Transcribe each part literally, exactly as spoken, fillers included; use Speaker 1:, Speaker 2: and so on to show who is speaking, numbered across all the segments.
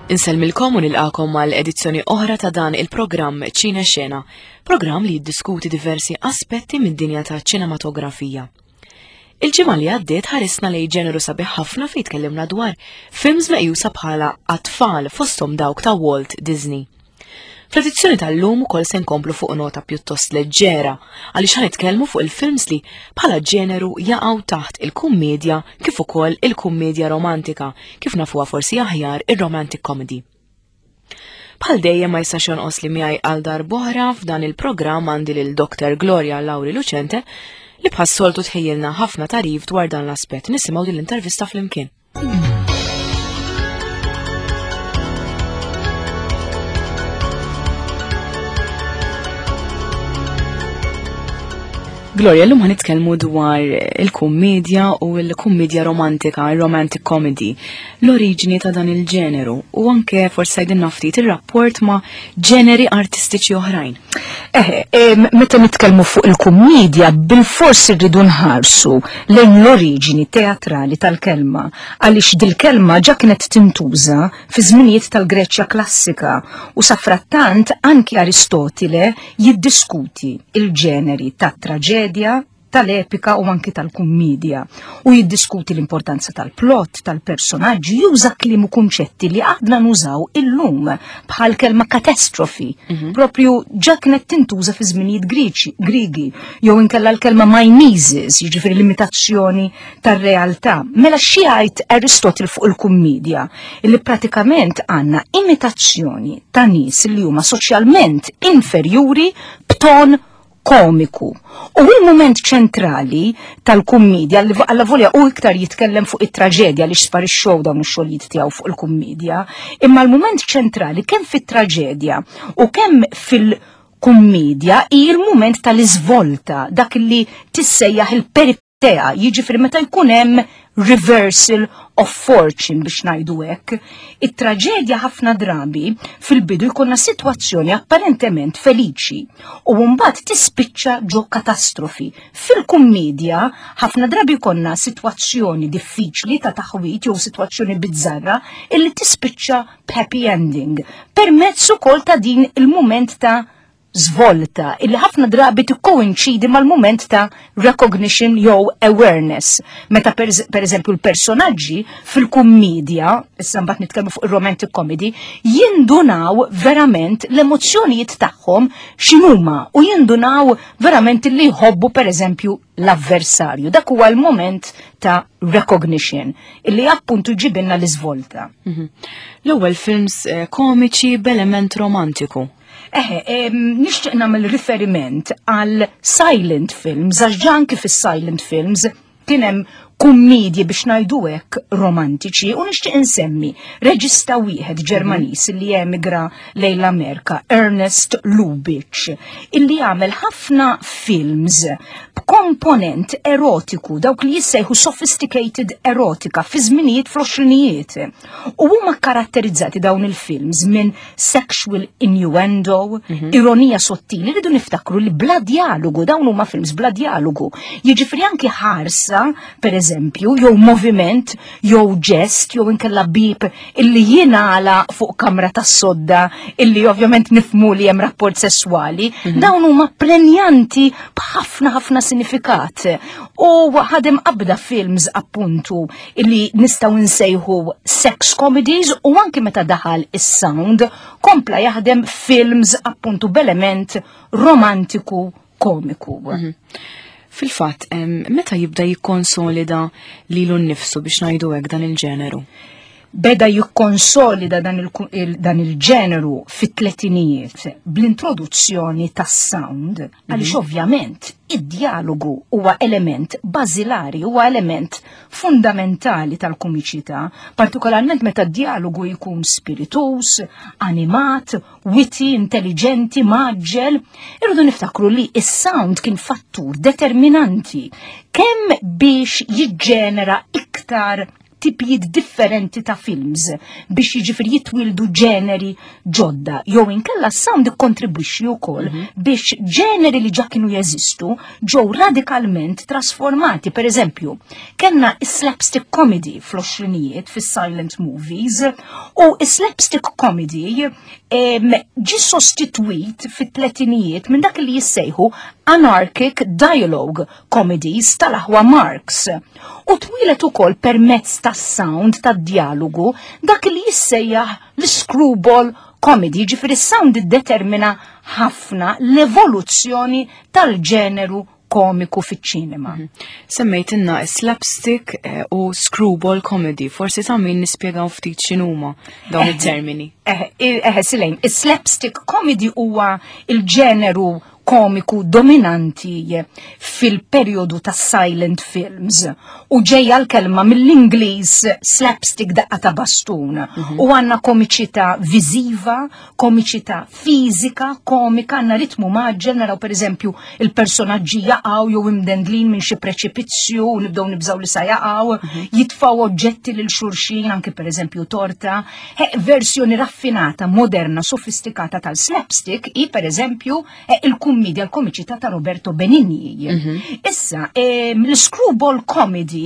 Speaker 1: Insellmilkom u nilqakom għal edizzjoni oħra ta' dan il-programm Ċine Xena, programm li jiddiskuti diversi aspetti mid-dinja ta' ċinematografija. Il-ġimgħa li għaddiet ħarisna lejn ġeneru sabiħ ħafna fejn tkellimna dwar films meqjusa bħala għat-tfal fosthom dawk ta' Walt Disney. Fl-edizzjoni tal-lum ukoll se nkomplu fuq nota pjuttost leġġera għaliex ħa nitkellmu fuq il-films li bħala ġeneru jaqgħu taħt il-kummedja kif ukoll il-kummedja romantika, kif nafuha forsi aħjar ir-romantic comedy. Bħal dejjem ma jistax jonqos li miegħi għal darb'oħra f'dan il-programm għandi lil Doctor Gloria Lauri Lucente li bħas-soltu tħejjilna ħafna tagħrif dwar dan l-aspett. Nisimgħu din l-intervista flimkien. Gloria, l-lum ħa nitkellmu dwar il-kummedja u l-kummedja romantika, il-romantic comedy, l-oriġini ta' dan il-ġeneru u anke forsi għidilna ftit il-rapport ma' ġeneri artistiċi oħrajn.
Speaker 2: Eh, meta nitkellmu fuq il-kummedja, bil-fors irridu nħarsu lejn l-oriġini teatrali tal-kelma, għaliex dil-kelma ġa kienet tintuża fi żminijiet tal-Greċja klassika u safrattant anki Aristotile jiddiskuti il-ġeneri tat-traġedja, tal-epika u anki tal-kummedja u jiddiskuti l-importanza tal-plot, tal-personaġġi, juża kliem u kunċetti li għadna nużaw illum bħal kelma katastrofi,
Speaker 1: Mhm.
Speaker 2: propju ġa kienet tintuża fi żminijiet Griċi, Grigi, jew inkella l-kelma mimesis, jiġifieri l-imitazzjoni tar-realtà. Mela xi jgħid Aristotle fuq il-kummedja? Illi pratikament għandna imitazzjoni ta' nies li huma soċjalment inferjuri b'ton komiku. U il-moment ċentrali tal-kummedja, li alla volja u iktar jitkellem fuq it-traġedja li sparixxew dawn ix-xogħlijiet tiegħu fuq il-kummedja, imma l-moment ċentrali kemm fit-traġedja u kemm fil-kummedja hi l-moment tal-iżvolta, dak li tissejjaħ il-peripetea, jiġifieri meta jkun hemm reversal of fortune biex ngħidu hekk. It-traġedja ħafna drabi fil-bidu jkollna sitwazzjoni apparentement feliċi u mbagħad tispiċċa ġo katastrofi. Fil-kummedja ħafna drabi jkollna sitwazzjoni diffiċli ta' taħwit jew sitwazzjoni bizzarra illi tispiċċa b'happy ending permezz ukoll ta' din il-mument ta' svolta illi ħafna drabi tikkoinċidi mal-mument ta' recognition jew awareness. Meta per, per eżempju l-personaġġi fil-kummedja, issa mbagħad nitkellmu fuq il-romantic comedy, jindunaw verament l-emozzjonijiet tagħhom x'inhuma u jindunaw verament li jħobbu per eżempju l-avversarju. Dak huwa l-moment ta' recognition illi appuntu ġibilna l-iżvolta.
Speaker 1: Mhm. L-ewwel films eh, komiċi b'element romantiku.
Speaker 2: Eħe, em, nixtieq nagħmel riferiment għal silent films, għax ġa anki fis-silent films kien hemm kummedji biex ngħidu hekk romantiċi u nixtieq insemmi reġista wieħed Ġermaniż li emigra lejn l-Amerika, Ernest Lubitsch, illi għamel ħafna films b'komponent erotiku, dawk li jissejħu sophisticated erotica fi żminijiet fl-għoxrinijiet. U huma karatterizzati dawn il-films minn sexual innuendo, ironija sottili, rridu niftakru li bla dialogu, dawn huma films bla dialogu. Jiġifieri anki ħarsa, per eżempju, jew moviment, jew ġest, jew inkella bib illi jingħala fuq kamra tas-sodda, illi ovvjament nifhmu li hemm rapport sesswali, dawn huma prenjanti b'ħafna ħafna sinifikat. U ħadem qabda films appuntu illi nistgħu nsejħu sex comedies u anki meta daħal is-sound kompla jaħdem films appuntu b'element romantiku komiku.
Speaker 1: Fil-fatt, em, meta jibda jikkonsolida lilu nnifsu biex ngħidu hekk dan il-ġeneru?
Speaker 2: Beda jikkonsolida dan il- il- dan il-ġeneru fit-tletinijiet bl-introduzzjoni tas-sound, għaliex ovvjament id-dialogu huwa element bażilari, huwa element fundamentali tal-komiċità, partikolarment meta d-dialogu jkun spiritus, animat, witty, intelligenti, mgħaġġel. Irridu niftakru li is-sound kien fattur determinanti kemm biex jiġġenera iktar tipijiet differenti ta' films biex jiġifieri jitwildu ġeneri ġodda jew inkella sound ikkontribwixxi wkoll mm -hmm. biex ġeneri li ġa kienu jeżistu ġew radikalment trasformati. Per eżempju, kellna slapstick comedy fl-għoxrinijiet fis-silent movies u slapstick comedy ġi sostitwit fit-tletinijiet minn dak li jissejħu anarchic dialogue comedies tal-aħwa Marx. U twieled ukoll permezz tas-sound tad-dialogu dak li jissejjaħ l-screwball comedy, ġifieri sound determina ħafna l-evoluzzjoni tal-ġeneru komiku fiċ-ċinema. Mm -hmm.
Speaker 1: Semmejtilna slapstick eh, u screwball comedy, forsi ta' min nispjegaw ftit x'inhuma dawn it-termini.
Speaker 2: Eh, eh, Silejn, slapstick comedy huwa il-ġeneru komiku dominanti fil-periodu ta' silent films u ġejja l-kelma mill-Ingliż slapstick, daqqa ta' bastun, mm -hmm. u għandna komiċità viżiva, komiċità fiżika, komika, għandna ritmu mgħaġġel, naraw per eżempju il-personaġġi jaqgħu jew imdendlin minn xi preċipizzju u nibdew nibżgħu li sa jaqgħu, mm -hmm. jitfgħu oġġetti lil xulxin, anke per eżempju torta, He, versjoni raffinata, moderna, sofistikata tal-slapstick i per eżempju il-kummedja, l-komiċità ta' Roberto Benigni. Mm -hmm. Issa, l-screwball comedy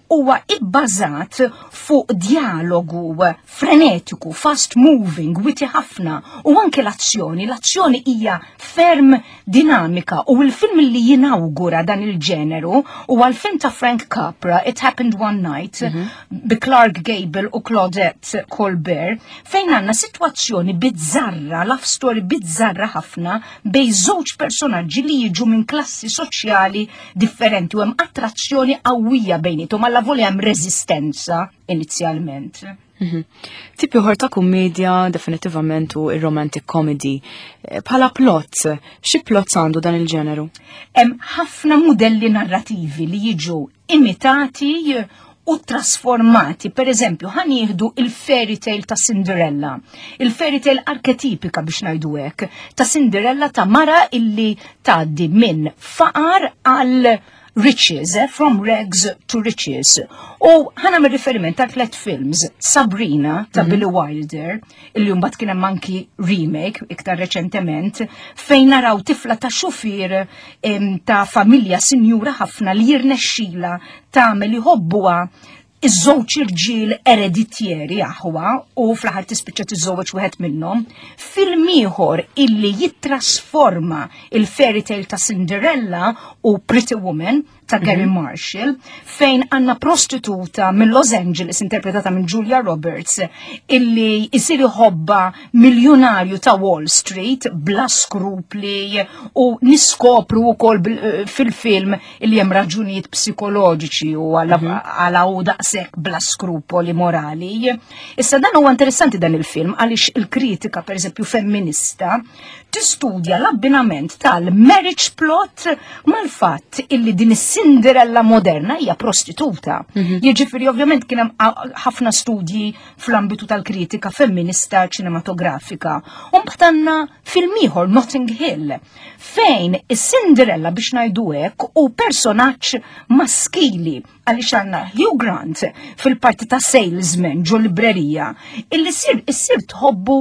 Speaker 2: huwa ibbażat fuq dialogu frenetiku, fast moving, witty ħafna u anke l-azzjoni. L-azzjoni hija ferm dinamika u l-film li jinawgura dan il-ġeneru huwa l-film ta' Frank Capra, It Happened One Night, mm -hmm. bi Clark Gable u Claudette Colbert, fejn għandna situazzjoni bizzarra, love story bizzarra ħafna bejn żewġ personaġġi li jiġu minn klassi soċjali differenti u hemm attrazzjoni qawwija bejniethom alla volja hemm reżistenza inizjalment.
Speaker 1: Mhm. Tip ieħor ta' kummedja definitivament hu ir-romantic comedy. Eh, bħala plot, xi plots għandu dan il-ġeneru?
Speaker 2: Hemm ħafna modelli narrativi li jiġu imitati u trasformati. Per eżempju, ħa nieħdu il-fairy tale ta' Cinderella. Il-fairy tale arketipika, biex ngħidu hekk, ta' Cinderella, ta' mara illi tgħaddi minn faqar għal riches, eh, from rags to riches. U ħa nagħmel riferiment ta' tlet films, Sabrina ta' mm -hmm. Billy Wilder, illi mbagħad kien hemm anki remake iktar reċentement, fejn naraw tifla ta' xufier ta' familja sinjura ħafna li jirnexxila tagħmel iħobbuha iż-żewġ irġiel ereditjeri aħwa u fl-aħħar tispiċċa tiżżewweġ wieħed minnhom. Film ieħor illi jittrasforma il-fairy tale ta' Cinderella hu Pretty Woman ta' Garry mm -hmm. Marshall, fejn għandna prostituta minn Los Angeles interpretata minn Julia Roberts illi jisir iħobbha miljonarju ta' Wall Street bla skrupli u niskopru wkoll fil-film illi hemm raġunijiet psikoloġiċi u għala mm -hmm. u daqshekk bla skrupoli morali. Issa, dan huwa interessanti dan il-film għaliex il-kritika, per eżempju, femminista tistudja l-abbinament tal-marriage plot mal-fatt illi din is-Cinderella moderna hija prostituta. Mm -hmm. Jiġifieri ovvjament kien hemm ħafna studji fl-ambitu tal-kritika femminista ċinematografika. U mbagħad għandna film ieħor, Notting Hill, fejn is-Cinderella, biex ngħidu hekk, hu personaġġ maskili għaliex għandna Hugh Grant fil-parti ta' salesman ġo librerija illi sir issir tħobbu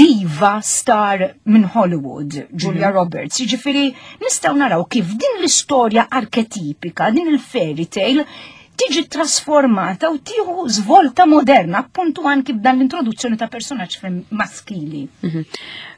Speaker 2: diva star minn Hollywood, Julia mm -hmm. Roberts. Jiġifieri nistgħu naraw kif din l-istorja arketipika, din il-fairy tale tiġi trasformata u tieħu svolta moderna, appuntu anki b'dan l-introduzzjoni ta' personaġġ maskili.
Speaker 1: Mm -hmm.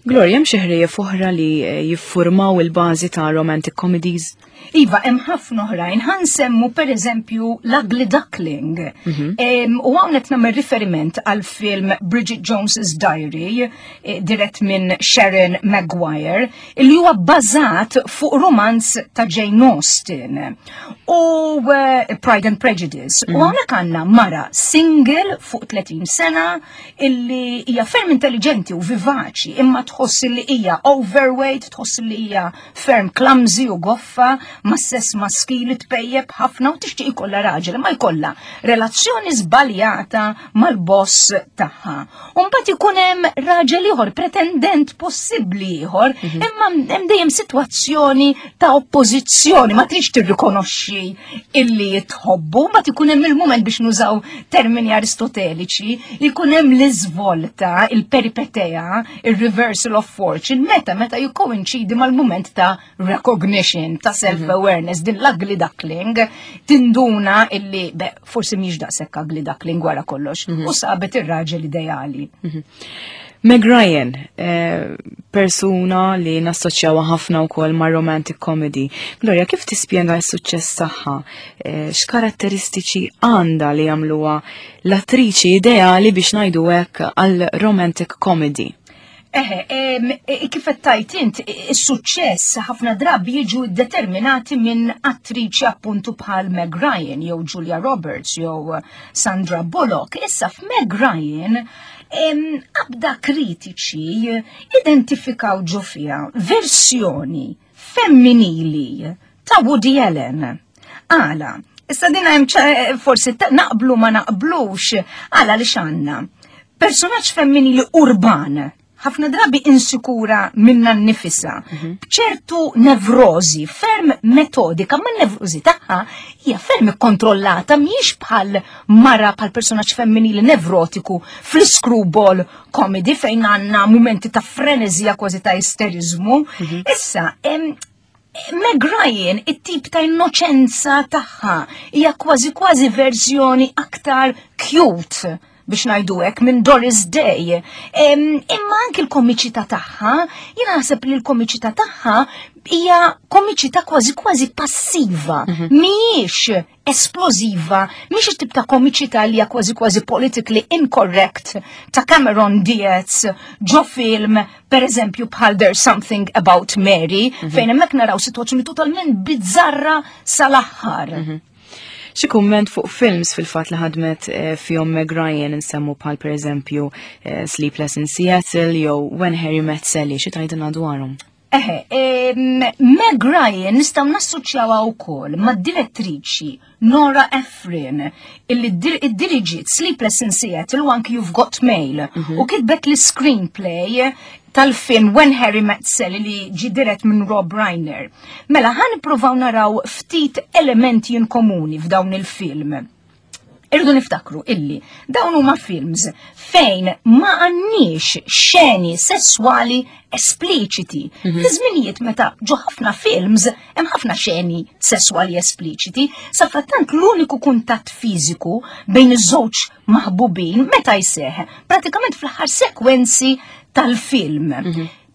Speaker 1: Gloria, hemm xi ħrejjef oħra li eh, jiffurmaw il-bażi ta' romantic comedies?
Speaker 2: Iva, hemm ħafna oħrajn. Ħa nsemmu per eżempju l-Ugly Duckling. Mm U hawnhekk nagħmel riferiment għal film Bridget Jones's Diary, eh, dirett minn Sharon Maguire, li huwa bbażat fuq romanz ta' Jane Austen u uh, Pride and Prejudice. Mm -hmm. U hawnhekk għandna mara single fuq tletin sena illi hija ferm intelligenti u vivaċi, imma tħoss li hija overweight, tħoss li hija ferm clumsy u goffa, ma' sess maskili tpejjeb ħafna u tixtieq ikollha raġel, ma jkollha relazzjoni żbaljata mal-boss tagħha. U mbagħad ikun hemm raġel ieħor, pretendent possibbli ieħor, mhm. imma hemm dejjem sitwazzjoni ta' oppożizzjoni, ma tridx tirrikonoxxi illi tħobbu. jħobbu, ma ikun hemm il-moment biex nużaw termini aristoteliċi, ikun hemm l-iżvolta, il-peripeteja, il-reversal of fortune, meta meta jikkoinċidi mal-moment ta' recognition, ta' self-awareness, din l-ugly duckling, tinduna illi, be, forsi mhix daqshekk ugly duckling wara kollox, u sabet ir-raġel ideali.
Speaker 1: Meg Ryan, eh, persuna li nassoċjawa ħafna wkoll ma' romantic comedy. Gloria, kif tispjega s-suċċess tagħha? Eh, X'karatteristiċi għandha li jagħmluha l-attriċi ideali biex ngħidu hekk għal romantic comedy?
Speaker 2: Eħe, em, e, kif qed tgħid int, is-suċċess ħafna drabi jiġu determinati minn attriċi appuntu bħal Meg Ryan jew Julia Roberts jew Sandra Bullock. Issa f'Meg Ryan em, qabda kritiċi identifikaw ġo fiha versjoni femminili ta' Woody Allen. Għala, issa din hemm ċa- forsi ta- naqblu ma naqblux, għala li x'għandna. Personaġġ femminili urban, ħafna drabi insikura minna nnifisha, bċertu nevrozi, ferm metodika, ma nevrozi tagħha hija ferm ikkontrollata, mhijiex bħal mara bħal personaġġ femminili nevrotiku fl-screwball comedy fejn għandna momenti ta' frenezija kważi ta' isterizmu. Issa, em, Meg Ryan, it-tip ta' innoċenza tagħha hija kważi kważi verżjoni aktar cute biex ngħidu hekk minn Doris Day. Em, Imma anki l-komiċità tagħha, jiena naħseb li l-komiċità tagħha hija komiċità kważi kważi passiva, mhijiex esplosiva, mhix it-tip ta' komiċità li hija kważi kważi politically incorrect ta' Cameron Diaz ġo film, per eżempju, bħal There's Something About Mary, fejn hemmhekk naraw sitwazzjoni totalment bizzarra sal-aħħar.
Speaker 1: Xi kumment fuq films fil-fatt li ħadmet eh, fihom Meg Ryan insemmu bħal per eżempju eh, Sleepless in Seattle jew When Harry Met Sally, xi tgħidilna dwarhom?
Speaker 2: Eħe, em, Meg Ryan nistgħu nassoċjawha wkoll ma' direttriċi Nora Ephron illi dir- iddiriġiet Sleepless in Seattle u anki You've Got Mail u kitbet l-screenplay tal-film When Harry Met Sally li ġi dirett minn Rob Reiner. Mela ħa nippruvaw naraw ftit elementi in komuni f'dawn il-film. Irridu niftakru illi dawn huma films fejn ma għandniex xeni sessuali espliċiti. Fi żminijiet meta ġo ħafna films hemm ħafna xeni sessuali espliċiti, sa frattant l-uniku kuntatt fiżiku bejn iż-żewġ maħbubin meta jseħ pratikament fl-aħħar sekwenzi tal-film.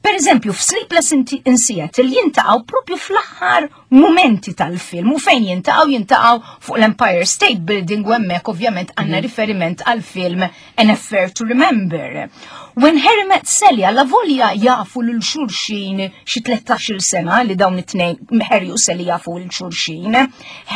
Speaker 2: Per eżempju, f'Sleepless in in Seattle jiltaqgħu propju fl-aħħar momenti tal-film u fejn jiltaqgħu jiltaqgħu fuq l-Empire State Building u hemmhekk ovvjament għandna riferiment għal film An Affair to Remember. When Harry Met Sally alla volja jafu lil xulxin xi tlettax-il sena li dawn it-tnejn Harry u Sally jafu lil xulxin.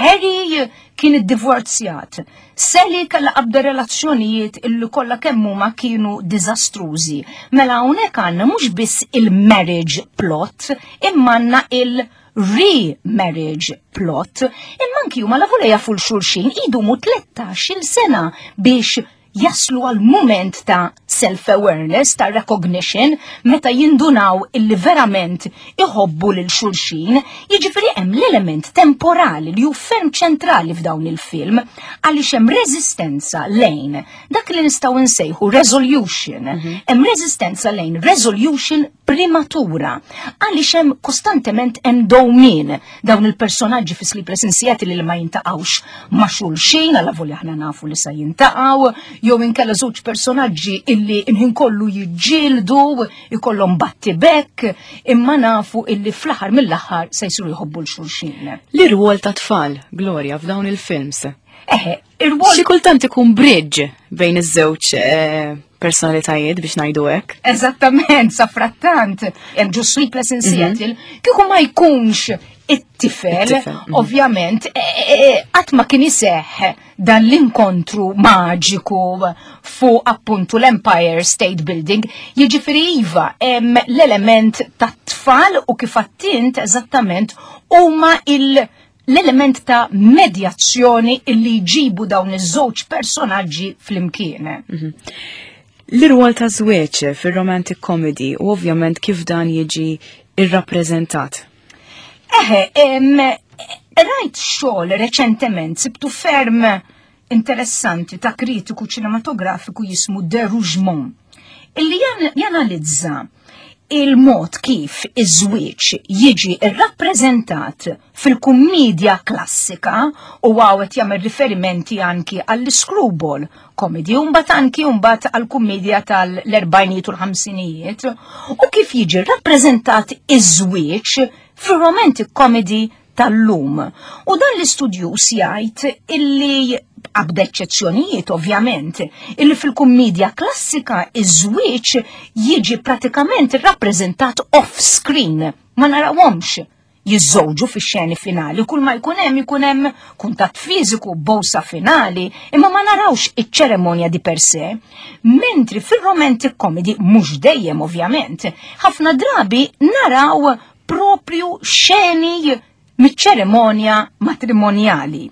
Speaker 2: Harry kien iddivorzjat. Sally kellha qabda relazzjonijiet illi kollha kemm huma kienu diżastrużi. Mela hawnhekk għandna mhux biss il-marriage plot, imma għandna il- re-marriage plot, imma anki huma la volja jafu lil xulxin idumu tlettax-il sena biex jaslu għal moment ta' self-awareness, ta' recognition, meta jindunaw illi verament iħobbu lil xulxin, jiġifieri hemm l-element temporali li hu ferm ċentrali f'dawn il-film, għaliex hemm reżistenza lejn dak li nistgħu nsejħu resolution, hemm reżistenza lejn resolution prematura, għaliex hemm kostantement hemm dowmin dawn il-personaġġi fi Sleepless in Seattle li ma jiltaqgħux ma' xulxin, alla volja aħna nafu li sa jiltaqgħu, jew inkella żewġ personaġġi illi il-ħin kollu jiġġieldu, ikollhom battibek, imma nafu illi fl-aħħar mill-aħħar se jsiru jħobbu lil xulxin.
Speaker 1: L-irwol ta' tfal, Gloria, f'dawn il-films.
Speaker 2: Eħe, ir-rwol
Speaker 1: Xi kultant ikun bridge bejn iż-żewġ eh, personalitajiet biex ngħidu hekk.
Speaker 2: Eżattament, sa frattant, hemm ġo Sleepless in Seattle, kieku ma jkunx it-tifel,
Speaker 1: It-tifel, mhm.
Speaker 2: ovvjament, qatt ma kien iseħħ dan l-inkontru maġiku fuq appuntu l-Empire State Building, jiġifieri iva, hemm l-element tat-tfal u kif għedt int eżattament huma il- l-element ta' medjazzjoni illi jġibu dawn iż-żewġ personaġġi flimkien.
Speaker 1: L-irwol ta' żwieġ fir-romantic comedy u ovvjament kif dan jiġi irrappreżentat.
Speaker 2: Eħe, em, Rajt xogħol reċentement sibtu ferm interessanti ta' kritiku ċinematografiku jismu De Rougemont, illi janalizza il-mod kif iż-żwieġ jiġi rrappreżentat fil-kummedja klassika u għawet jagħmel riferimenti anki għall-screwball comedy, u mbagħad anki mbagħad għall-kummedja tal-erbgħinijiet u l-ħamsinijiet, u kif jiġi rrappreżentat iż-żwieġ fir-romantic comedy tal-lum. U dan l-istudjuż jgħid illi qabda eċċezzjonijiet ovvjament, illi fil-kummedja klassika iż-żwieġ jiġi pratikament rappreżentat off-screen, ma narawhomx jiżżewġu fix-xeni finali, kull ma jkun hemm ikun hemm kuntatt fiżiku, bowsa finali, imma ma narawx iċ-ċeremonja di per se. Mentri fil-romantic comedy, mhux dejjem ovvjament, ħafna drabi naraw propju xeni miċ-ċeremonja matrimonjali.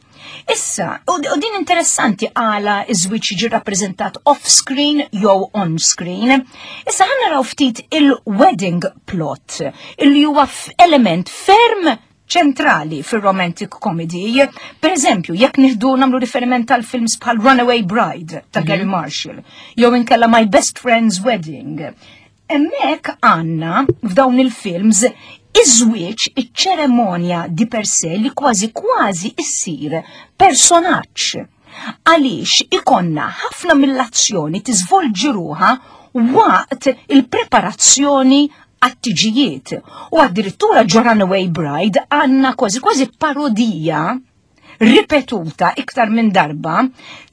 Speaker 2: Issa, u din interessanti għala iż-żwieġ jiġi rappreżentat off-screen jew on-screen. Issa ħa naraw ftit il-wedding plot, illi huwa element ferm ċentrali fil-romantic comedy. Per eżempju, jekk nieħdu nagħmlu riferiment tal films bħal Runaway Bride ta' Gary mhm. Marshall, jew inkella My Best Friend's Wedding. Hemmhekk għandna f'dawn il-films iż-żwieġ, iċ-ċeremonja di per se li kważi kważi issir personaġġ. Għaliex ikonna ħafna mill-azzjoni tiżvolġi ruħha waqt il-preparazzjoni għat-tiġijiet. U addirittura ġo Runaway Bride għandna kważi kważi parodija ripetuta iktar minn darba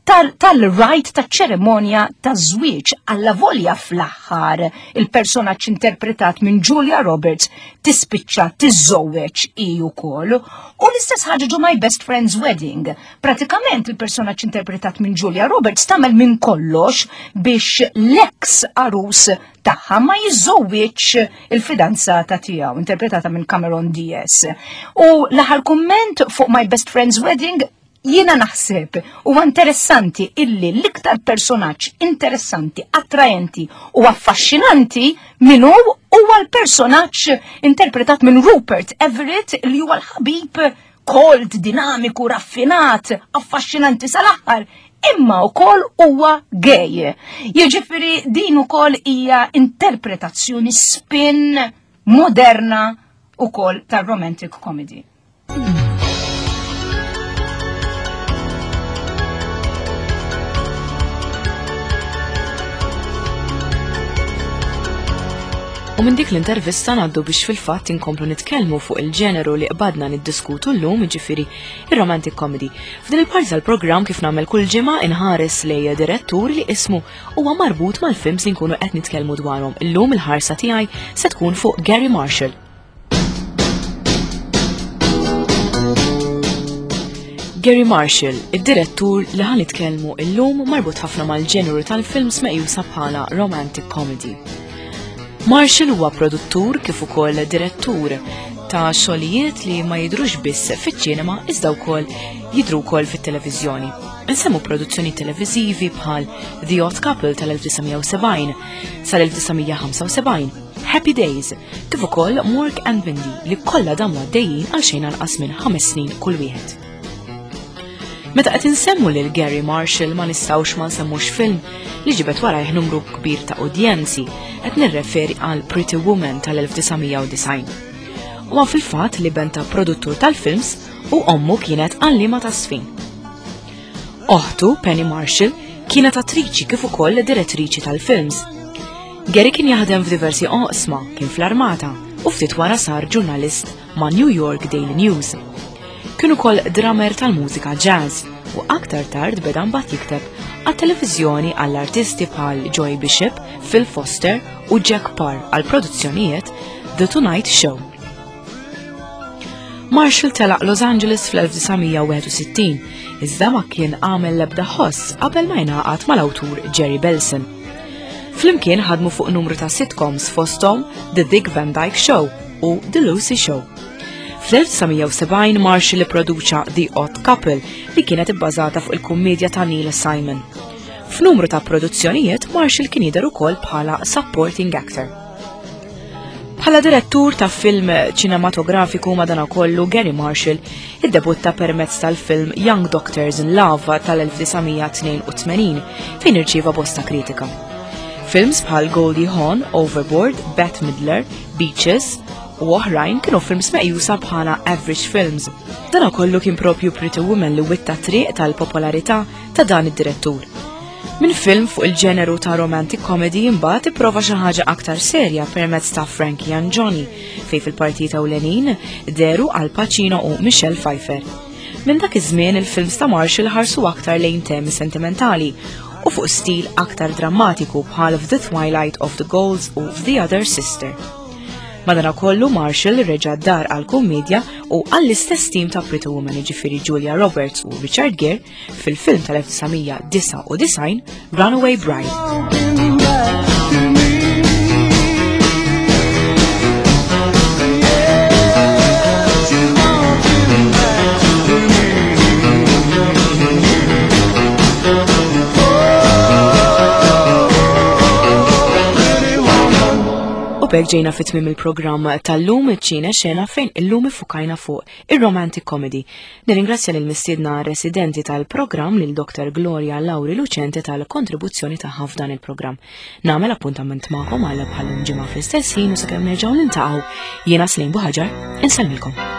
Speaker 2: tal-rite ta' ċeremonja ta' żwieġ alla volja fl-aħħar il-personaġġ interpretat minn Julia Roberts tispiċċa tiżżewweġ hi wkoll. U l-istess ħaġa ġo My Best Friend's Wedding. Pratikament il-personaġġ interpretat minn Julia Roberts tagħmel minn kollox biex l-ex arus tagħha ma jiżżewwiġ il-fidanzata tiegħu, interpretata minn Cameron Diaz. U l-aħħar kumment fuq My Best Friend's Wedding, jiena naħseb u interessanti illi l-iktar personaġġ interessanti, attraenti u affaxxinanti minnu huwa l-personaġġ interpretat minn Rupert Everett, li huwa l-ħabib cold, dinamiku, raffinat, affaxxinanti sal-aħħar, imma wkoll huwa gay. Jiġifieri din ukoll hija interpretazzjoni spin moderna ukoll tar-romantic comedy.
Speaker 1: U minn dik l-intervista ngħaddu biex fil-fatt inkomplu nitkellmu fuq il-ġeneru li qbadna niddiskutu llum, jiġifieri ir-romantic comedy. F'din il-parti tal-programm, kif nagħmel kull ġimgħa, inħares lej direttur li ismu huwa marbut mal-films li nkunu qed nitkellmu dwarhom. Illum il-ħarsa tiegħi se tkun fuq Gary Marshall. Gary Marshall, id-direttur li ħa nitkellmu illum, marbut ħafna mal-ġeneru tal-films meqjusa bħala romantic comedy. Marshall huwa produttur kif ukoll direttur ta' xogħlijiet li ma jidrux biss fiċ-ċinema iżda wkoll jidru wkoll fit-televiżjoni. Insemmu produzzjoni televiżivi bħal The Odd Couple tal-elf disa' mija u sebgħin sal-elf disa' mija u ħamsa u sebgħin, Happy Days, kif ukoll Mork and Mindy, li kollha damu għaddejjin għal xejn anqas minn ħames snin kull wieħed. Meta qed insemmu lil Gary Marshall ma nistgħux ma nsemmux film li ġibet warajh numru kbir ta' udjenzi, qed nirreferi għal Pretty Woman tal-elf disa' mija u disgħin. Huwa fil-fatt li ben ta' produttur tal-films u ommu kienet għallima ta' żfin. Oħtu, Penny Marshall, kienet attriċi kif ukoll direttriċi tal-films. Gary kien jaħdem f'diversi oqsma, kien fl-armata u ftit wara sar ġurnalist ma' New York Daily News. Kien ukoll drummer tal-mużika jazz u aktar tard beda mbagħad jikteb għat-televiżjoni għall-artisti bħal Joey Bishop, Phil Foster u Jack Paar għal produzzjonijiet The Tonight Show. Marshall telaq Los Angeles fl-elf disa' mija u wieħed u sittin, iżda ma kien għamel l-ebda ħoss qabel ma jingħaqad mal-awtur Jerry Belson. Flimkien ħadmu fuq numru ta' sitcoms, fosthom The Dick Van Dyke Show u The Lucy Show. Fl-elf disa' mija u sebgħin Marshall produċa The Odd Couple, li kienet ibbażata fuq il-kummedja ta' Neil Simon. F'numru ta' produzzjonijiet Marshall kien jidher ukoll bħala supporting actor. Bħala direttur ta' film ċinematografiku, madanakollu, Garry Marshall iddebutta permezz tal-film Young Doctors in Love tal-elf disa' mija tnejn u tmenin, fejn irċieva bosta kritika. Films bħal Goldie Hawn, Overboard, Bette Midler, Beaches u oħrajn kienu films meqjusa bħala average films. Dan kollu kien propju Pretty Woman li witta triq tal-popolarità ta' dan id-direttur. Minn film fuq il-ġeneru ta' romantic comedy, imbagħad ipprova xi ħaġa aktar serja permezz ta' Frankie and Johnny, fejn fil-partita ewlenin dehru Al Pacino u Michelle Pfeiffer. Minn dak iż-żmien, il-films ta' Marshall ħarsu aktar lejn temi sentimentali u fuq stil aktar drammatiku bħal f'The Twilight of the Golds u The Other Sister. Madanakollu, Marshall reġa' dar għal kummedja u għall-istess tim ta' Pretty Woman, ġifieri Julia Roberts u Richard Gere, fil-film tal-elf disa' mija disgħa u disgħin Runaway Bride.
Speaker 3: Walking back to me. Yeah, she's walking back to me. Oh, pretty woman.
Speaker 1: U b'hekk ġejna fi tmiem il-programm tal-lum, Ċine Xena, fejn illum iffukajna fuq il-romantic comedy. Nirringrazzja lil mistiedna residenti tal-programm, lil Doktor Gloria Lauri Lucente, tal-kontribuzzjoni tagħha f'dan il-programm. Nagħmel appuntament magħkom għal bħal ġimgħa fl-istess ħin u sakemm nerġgħu niltaqgħu, jiena Slim Buħaġar, insellmilkom.